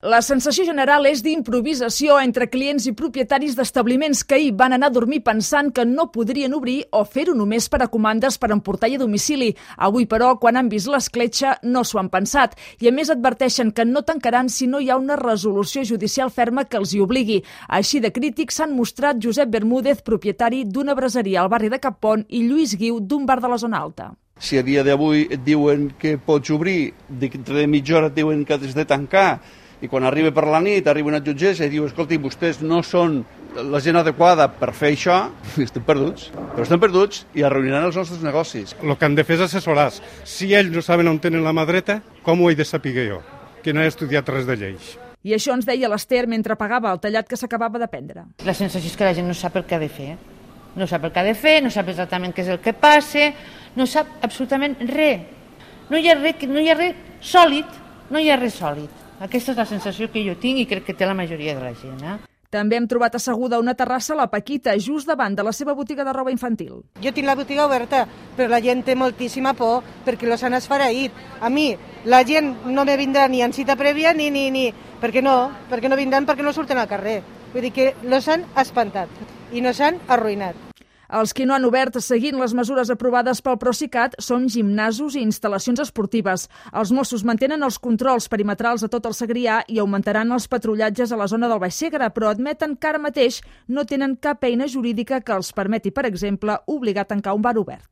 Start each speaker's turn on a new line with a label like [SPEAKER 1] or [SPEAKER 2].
[SPEAKER 1] La sensació general és d'improvisació entre clients i propietaris d'establiments que ahir van anar a dormir pensant que no podrien obrir o fer-ho només per a comandes per emportar a domicili. Avui, però, quan han vist l'escletxa, no s'ho han pensat. I a més adverteixen que no tancaran si no hi ha una resolució judicial ferma que els hi obligui. Així de crítics s'han mostrat Josep Bermúdez, propietari d'una braseria al barri de Cappont, i Lluís Guiu, d'un bar de la zona alta.
[SPEAKER 2] Si a dia d'avui et diuen que pots obrir, dintre de mitja hora et diuen que has de tancar, i quan arriba per la nit, arriba una jutgessa i diu, escolti, vostès no són la gent adequada per fer això, estem perduts. Però estem perduts i arruïnaran els nostres negocis.
[SPEAKER 3] El que han de fer és assessorar. Si ells no saben on tenen la mà dreta, com ho he de saber jo, que no he estudiat res de lleis?
[SPEAKER 1] I això ens deia l'Ester mentre pagava el tallat que s'acabava de prendre.
[SPEAKER 4] La sensació és que la gent no sap el que ha de fer. No sap el que ha de fer, no sap exactament què és el que passa, no sap absolutament res. No hi ha res sòlid, no hi ha res sòlid. Aquesta és la sensació que jo tinc i crec que té la majoria de la gent.
[SPEAKER 1] També hem trobat asseguda a una terrassa la Paquita, just davant de la seva botiga de roba infantil.
[SPEAKER 5] Jo tinc la botiga oberta, però la gent té moltíssima por perquè los han esfereït. A mi, la gent no me vindrà ni en cita prèvia ni... Perquè no vindran perquè no surten al carrer. Vull dir que los han espantat i nos han arruïnat.
[SPEAKER 1] Els que no han obert seguint les mesures aprovades pel Procicat són gimnasos i instal·lacions esportives. Els Mossos mantenen els controls perimetrals a tot el Segrià i augmentaran els patrullatges a la zona del Baix Segre, però admeten que ara mateix no tenen cap eina jurídica que els permeti, per exemple, obligar a tancar un bar obert.